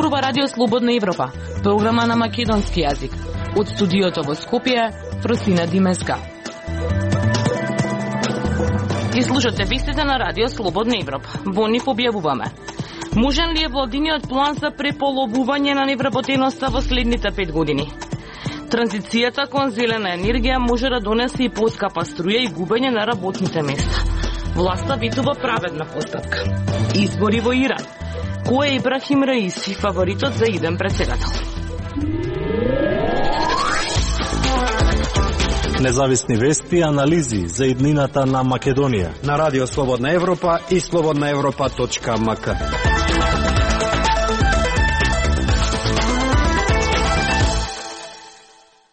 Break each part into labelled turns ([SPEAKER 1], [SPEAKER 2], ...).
[SPEAKER 1] зборува Радио Слободна Европа, програма на македонски јазик. Од студиото во Скопје, Просина Димеска. Ги слушате вестите на Радио Слободна Европа. Во нив објавуваме: можен ли е владиниот план за преполовување на невработеноста во следните 5 години? Транзицијата кон зелена енергија може да донесе и поскапа струја и губење на работните места. Власта ветува праведна постапка. Избори во Иран. Кој е Ибрахим Раиси, фаворитот за иден претседател?
[SPEAKER 2] Независни вести и анализи за иднината на Македонија
[SPEAKER 3] на Радио Слободна Европа и slobodnaevropa.mk.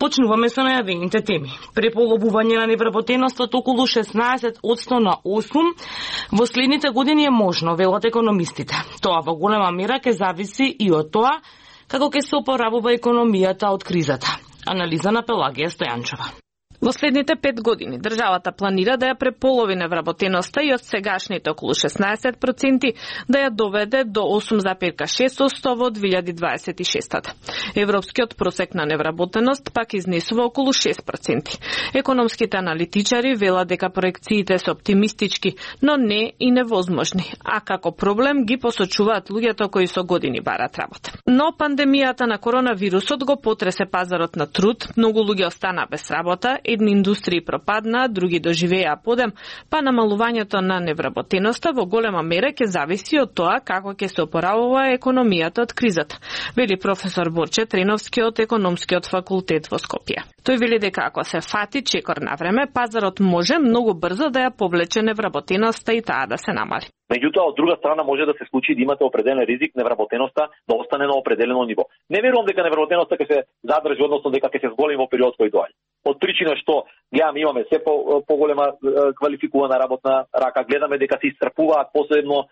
[SPEAKER 1] Почнуваме со најавените теми. Преполовување на невработеноста од околу 16% на 8% во следните години е можно, велат економистите. Тоа во голема мера ќе зависи и од тоа како ќе се опоравува економијата од кризата. Анализа на Пелагија Стојанчова.
[SPEAKER 4] Во следните 5 години државата планира да ја преполови невработеноста и од сегашните околу 16% да ја доведе до 8,6% во 2026. Европскиот просек на невработеност пак изнесува околу 6%. Економските аналитичари велат дека проекциите се оптимистички, но не и невозможни, а како проблем ги посочуваат луѓето кои со години барат работа. Но пандемијата на коронавирусот го потресе пазарот на труд, многу луѓе остана без работа, едни индустрии пропадна, други доживеа подем, па намалувањето на невработеноста во голема мера ќе зависи од тоа како ќе се опоравува економијата од кризата, вели професор Борче Треновски од економскиот факултет во Скопје. Тој вели дека ако се фати чекор на време, пазарот може многу брзо да ја повлече невработеноста и таа да се намали.
[SPEAKER 5] Меѓутоа, од друга страна може да се случи да имате определен ризик невработеноста да остане на определено ниво. Не верувам дека невработеноста ќе се задржи, односно дека ќе се зголеми во период кој доаѓа. Од причина што имаме се поголема квалификувана работна рака, гледаме дека се исцрпуваат посебно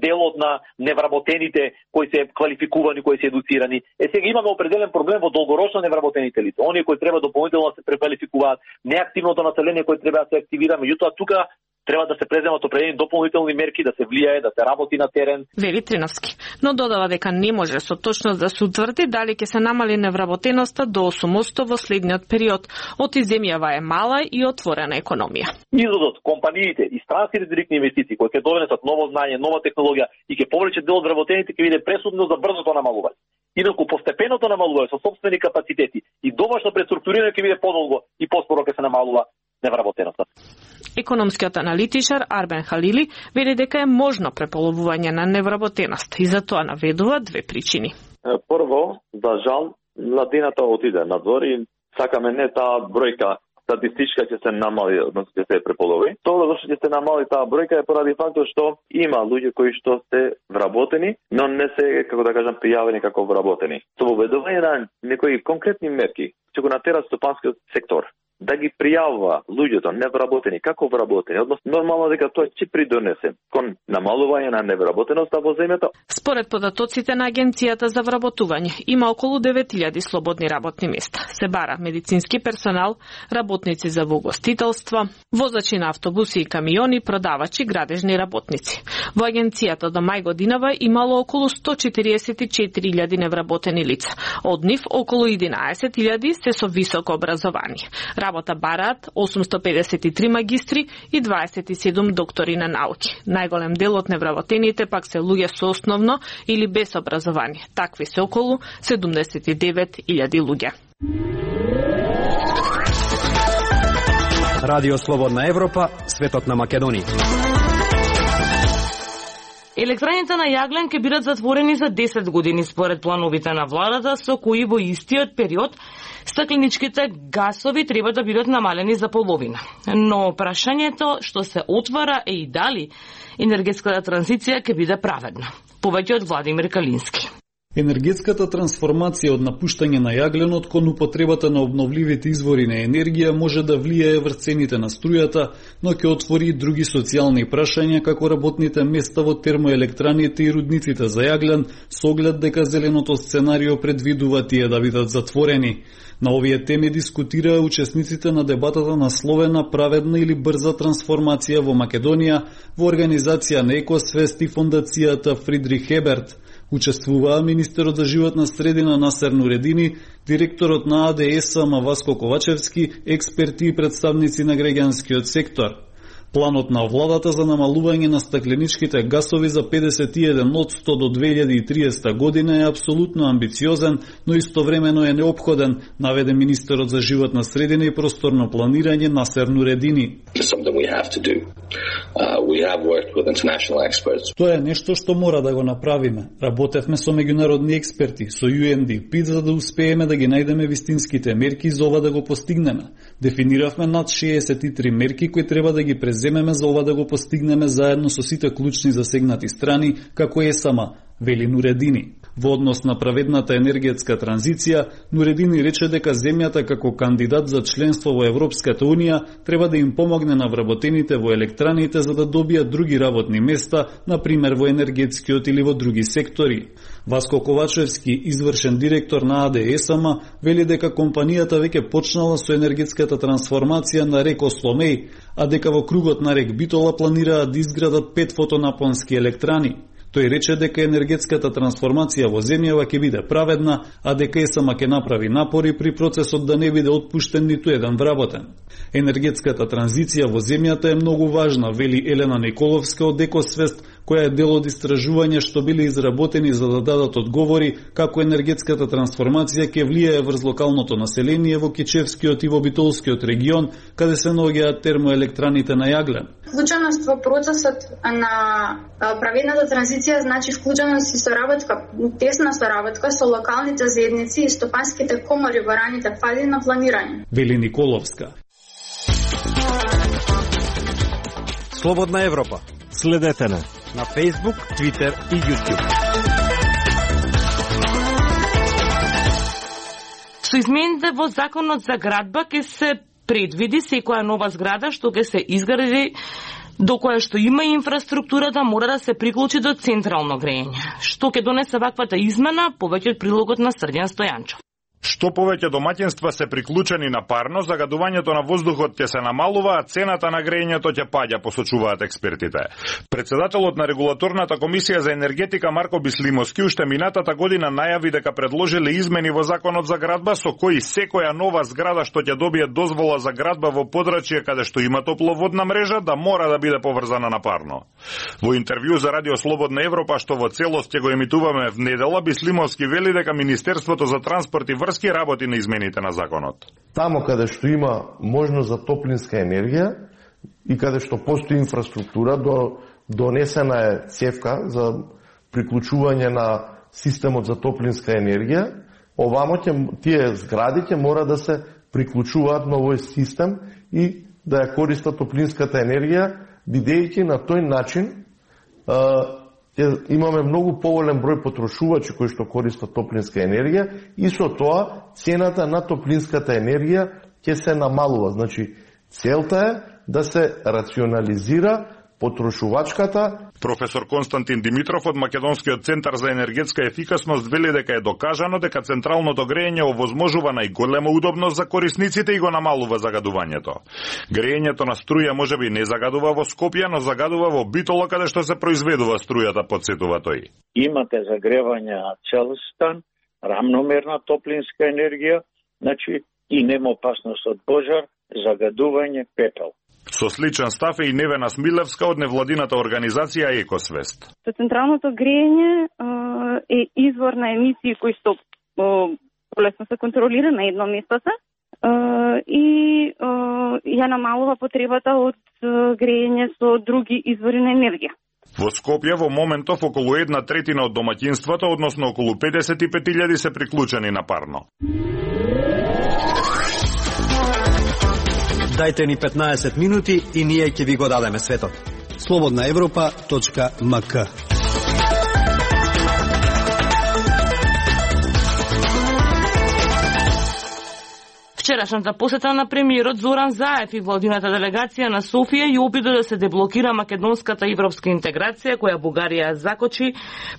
[SPEAKER 5] делот на невработените кои се квалификувани, кои се едуцирани. Сега имаме определен проблем во долгорочно невработените лица. Оние кои треба дополнително да се преквалификуваат, неактивното население кои треба да се активира, меѓутоа тука треба да се преземат определени дополнителни мерки, да се влијае, да се работи на терен.
[SPEAKER 4] Вели Триновски, но додава дека не може со точност да се утврди дали ќе се намали невработеноста до 8% во следниот период. Од земјава е мала и отворена економија.
[SPEAKER 5] Изодот, компаниите и странските директни инвестиции кои ќе донесат ново знање, нова технологија и ќе повлечат дел од вработените ќе биде пресудно за брзото намалување. Инаку постепеното намалување со сопствени капацитети и домашно преструктурирање ќе биде подолго и поспоро ќе се намалува невработеноста.
[SPEAKER 4] Економскиот аналитичар Арбен Халили вели дека е можно преполовување на невработеност и за тоа наведува две причини.
[SPEAKER 6] Прво, за жал, младината отиде надвор и сакаме не таа бројка статистичка ќе се намали, односно ќе се преполови. Тоа зашто ќе се намали таа бројка е поради фактот што има луѓе кои што се вработени, но не се, како да кажам, пријавени како вработени. Со воведување на некои конкретни мерки ќе го натера стопанскиот сектор да ги пријавува луѓето невработени како вработени, односно нормално дека тоа ќе придонесе кон намалување на невработеноста во земјата.
[SPEAKER 4] Според податоците на Агенцијата за вработување, има околу 9000 слободни работни места. Се бара медицински персонал, работници за угостителство, возачи на автобуси и камиони, продавачи, градежни работници. Во Агенцијата до мај годинава имало околу 144.000 невработени лица. Од нив околу 11.000 се со високо образование. Работа бараат 853 магистри и 27 доктори на науки. Најголем дел од невработените пак се луѓе со основно или без образование. Такви се околу 79.000 луѓе.
[SPEAKER 3] Радио Слободна Европа, светот на Македонија.
[SPEAKER 1] Електраните на јаглен ќе бидат затворени за 10 години според плановите на владата, со кои во истиот период стакленичките гасови треба да бидат намалени за половина. Но прашањето што се отвара е и дали енергетската транзиција ќе биде праведна. Повеќе од Владимир Калински.
[SPEAKER 7] Енергетската трансформација од напуштање на јагленот кон употребата на обновливите извори на енергија може да влијае врз цените на струјата, но ќе отвори и други социјални прашања како работните места во термоелектраните и рудниците за јаглен, со оглед дека зеленото сценарио предвидува тие да бидат затворени. На овие теми дискутираа учесниците на дебатата насловена праведна или брза трансформација во Македонија во организација на Екосвест и фондацијата Фридрих Еберт. Учествуваа министерот за животна средина Насер Нуредини, директорот на АДСМ Васко Ковачевски, експерти и представници на граѓанскиот сектор. Планот на владата за намалување на стакленичките гасови за 51% до 2030 година е апсолутно амбициозен, но истовремено е неопходен, наведе министерот за животна средина и просторно планирање Насер Нуредини. Тоа е нешто што мора да го направиме. Работевме со меѓународни експерти, со UNDP, за да успееме да ги најдеме вистинските мерки за ова да го постигнеме. Дефиниравме над 63 мерки кои треба да ги преземеме за ова да го постигнеме заедно со сите клучни засегнати страни, како ЕСАМА, вели Нуредини. Во однос на праведната енергетска транзиција, Нуредини рече дека земјата како кандидат за членство во Европската Унија треба да им помогне на вработените во електраните за да добијат други работни места, например во енергетскиот или во други сектори. Васко Ковачевски, извршен директор на АДСМ, вели дека компанијата веќе почнала со енергетската трансформација на рек Осломеј, а дека во кругот на рек Битола планираат да изградат 5 фотонапонски електрани. Тој рече дека енергетската трансформација во земјава ќе биде праведна, а дека ЕСМ ќе направи напори при процесот да не биде отпуштен ниту еден вработен. Енергетската транзиција во земјата е многу важна, вели Елена Николовска од Екосвест, која е дел од истражувања што биле изработени за да дадат одговори како енергетската трансформација ќе влијае врз локалното население во Кечевскиот и во Битолскиот регион, каде се наоѓаат термоелектраните на јаглен.
[SPEAKER 8] Вклученост во процесот на праведната транзиција значи вклученост и соработка, тесна соработка со локалните заедници и стопанските комори во раните фази на планирање.
[SPEAKER 7] Вели Николовска.
[SPEAKER 3] Слободна Европа.
[SPEAKER 2] Следете на
[SPEAKER 3] Facebook, Twitter и YouTube.
[SPEAKER 1] Со измените во законот за градба ќе се предвиди секоја нова зграда што ќе се изгради до која што има инфраструктура да мора да се приклучи до централно грејење. Што ќе донесе ваквата измена, повеќе од прилогот на Срдјан Стојанчов.
[SPEAKER 9] Што повеќе домаќинства се приклучени на парно, загадувањето на воздухот ќе се намалува, а цената на грејењето ќе паѓа, посочуваат експертите. Председателот на регулаторната комисија за енергетика Марко Бислимовски уште минатата година најави дека предложиле измени во законот за градба со кои секоја нова зграда што ќе добие дозвола за градба во подрачје каде што има топловодна мрежа да мора да биде поврзана на парно. Во интервју за Радио Слободна Европа што во целост ќе го емитуваме в недела, Бислимовски вели дека Министерството за транспорт и врски работи на измените на законот.
[SPEAKER 10] Тамо каде што има можност за топлинска енергија и каде што постои инфраструктура, донесена е цевка за приклучување на системот за топлинска енергија, овамо тие згради ќе мора да се приклучуваат на овој систем и да ја користат топлинската енергија, бидејќи на тој начин имаме многу поголем број потрошувачи кои што користат топлинска енергија и со тоа цената на топлинската енергија ќе се намалува. Значи, целта е да се рационализира потрошувачката.
[SPEAKER 9] Професор Константин Димитров од Македонскиот центар за енергетска ефикасност вели дека е докажано дека централното грејење овозможува најголема удобност за корисниците и го намалува загадувањето. Грејењето на струја можеби не загадува во Скопје, но загадува во Битола каде што се произведува струјата, подсетува тој.
[SPEAKER 11] Имате загревање на цел стан, рамномерна топлинска енергија, значи и нема опасност од пожар, загадување, пепел.
[SPEAKER 9] Со сличен став е и Невена Смилевска од невладината организација Екосвест.
[SPEAKER 12] Централното грејење е извор на емисии кои што полесно се контролира на едно место и ја намалува потребата од грејење со други извори на енергија.
[SPEAKER 9] Во Скопје во моментов околу 1/3 од домаќинствата, односно околу 55.000 се приклучени на парно.
[SPEAKER 3] Дајте ни 15 минути и ние ќе ви го дадеме светот. slobodnaevropa.mk.
[SPEAKER 1] Вчерашната посета на премиерот Зоран Заев и владината делегација на Софија ја обиде да се деблокира македонската европска интеграција која Бугарија закочи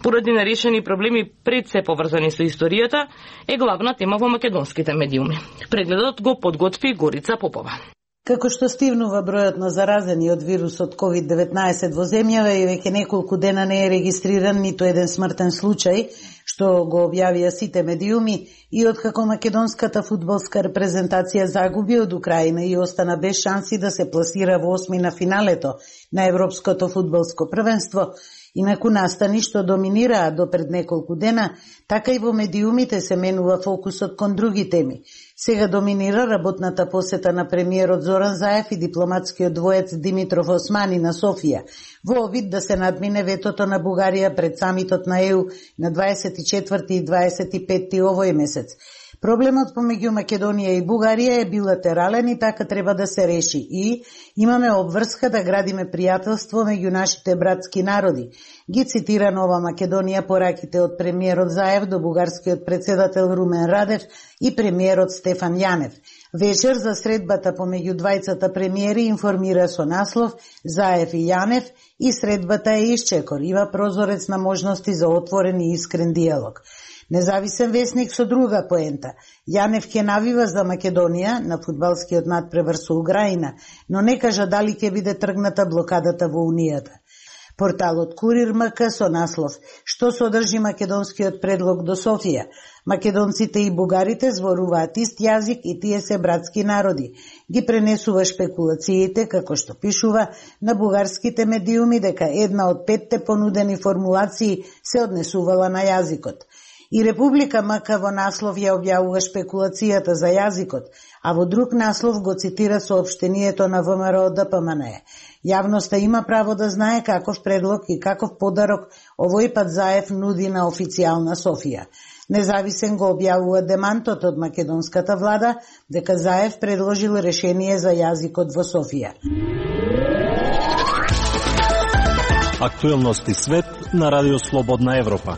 [SPEAKER 1] поради нерешени проблеми пред се поврзани со историјата е главна тема во македонските медиуми. Прегледот го подготви Горица Попова.
[SPEAKER 13] Како што стивнува бројот на заразени од вирусот COVID-19 во земјава и веќе неколку дена не е регистриран ниту еден смртен случај, што го објавија сите медиуми, и откако македонската фудбалска репрезентација загуби од Украина и остана без шанси да се пласира во осмина финалето на Европското фудбалско првенство, инаку настани што доминираа до пред неколку дена, така и во медиумите се менува фокусот кон други теми. Сега доминира работната посета на премиерот Зоран Заев и дипломатскиот двоец Димитров Османи на Софија, во обид да се надмине ветото на Бугарија пред самитот на ЕУ на 24 и 25 овој месец. Проблемот помеѓу Македонија и Бугарија е билатерален и така треба да се реши и имаме обврска да градиме пријателство меѓу нашите братски народи. Ги цитира Нова Македонија пораките од премиерот Заев до бугарскиот председател Румен Радев и премиерот Стефан Јанев. Вечер за средбата помеѓу двајцата премиери информира со наслов Заев и Јанев и средбата е исчекор, има прозорец на можности за отворен и искрен диалог. Независен весник со друга поента. Јанев ќе навива за Македонија на фудбалскиот надпревар со Украина, но не кажа дали ќе биде тргната блокадата во Унијата. Порталот Курир МК со наслов што содржи македонскиот предлог до Софија. Македонците и бугарите зборуваат ист јазик и тие се братски народи. Ги пренесува шпекулациите, како што пишува на бугарските медиуми, дека една од 5 понудени формулации се однесувала на јазикот. И Република МК во наслов ја објавува шпекулацијата за јазикот, а во друг наслов го цитира соопштението на ВМРО ДПМН. Јавноста има право да знае каков предлог и каков подарок овој пат Заев нуди на официјална Софија. Независен го објавува демантот од македонската влада дека Заев предложил решение за јазикот во Софија.
[SPEAKER 2] Актуелности свет на Радио Слободна Европа.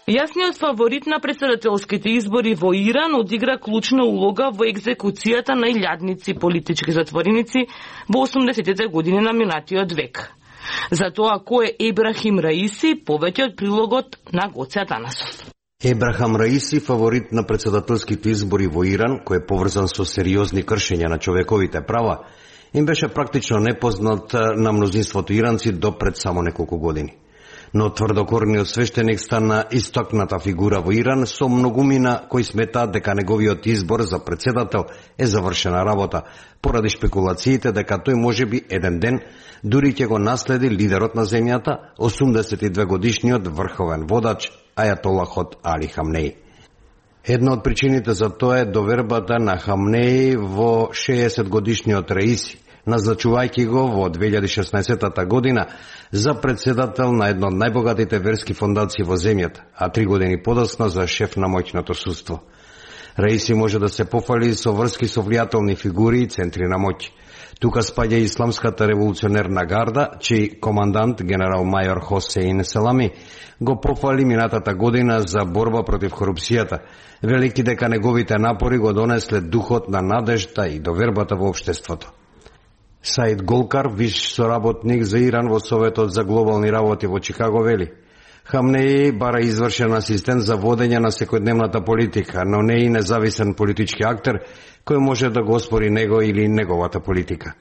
[SPEAKER 1] Јасниот фаворит на претседателските избори во Иран одигра клучна улога во екзекуцијата на илјадници политички затвореници во 80-тите години на минатиот век. За тоа кој е Ебрахим Раиси, повеќе од прилогот на Гоце Атанасов.
[SPEAKER 14] Ебрахам Раиси, фаворит на претседателските избори во Иран, кој е поврзан со сериозни кршења на човековите права, им беше практично непознат на мнозинството иранци до пред само неколку години. Но тврдокорниот свештеник стана истокната фигура во Иран со многумина кои сметаат дека неговиот избор за председател е завршена работа, поради шпекулациите дека тој можеби еден ден дури ќе го наследи лидерот на земјата, 82 годишниот врховен водач Ајатолахот Али Хамнеи. Една од причините за тоа е довербата на Хамнеи во 60 годишниот Раиси, назначувајќи го во 2016 година за председател на една од најбогатите верски фондации во земјата, а 3 години подоцна за шеф на моќното судство. Раиси може да се пофали со врски со влијателни фигури и центри на моќ. Тука спаѓа Исламската револуционерна гарда, чиј командант генерал мајор Хосеин Селами го пофали минатата година за борба против корупцијата, велики дека неговите напори го донесле духот на надежда и довербата во општеството. Саид Голкар, виш соработник за Иран во Советот за глобални работи во Чикаго, вели: Хамнеи бара извршен асистент за водење на секојдневната политика, но не и независен политички актер кој може да го оспори него или неговата политика.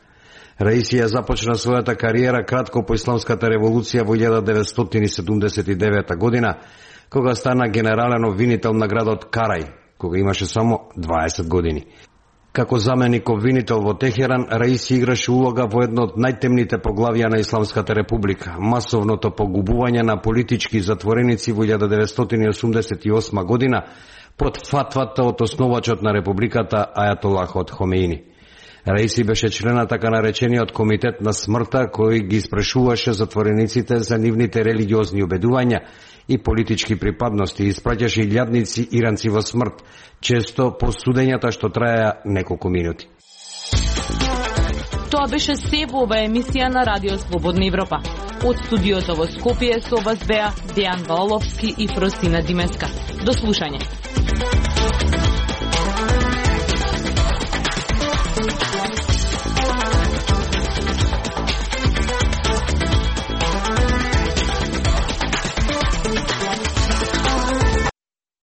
[SPEAKER 14] Раиси ја започна својата кариера кратко по Исламската револуција во 1979 година, кога стана генерален обвинител на градот Карај, кога имаше само 20 години. Како заменик обвинител во Техеран, Раиси играше улога во едно од најтемните поглавија на Исламската република, масовното погубување на политички затвореници во 1988 година под фатвата од основачот на републиката Ајатолахот Хомеини. Раиси беше член на така наречениот комитет на смртта, кој ги испрашуваше затворениците за нивните религиозни убедувања и политички припадности и испраќаше илјадници иранци во смрт, често по судењата што траја неколку минути.
[SPEAKER 1] Тоа беше се во оваа емисија на Радио Слободна Европа. Од студиото во Скопје со вас беа Дејан Валовски и Фростина Димеска. До слушање.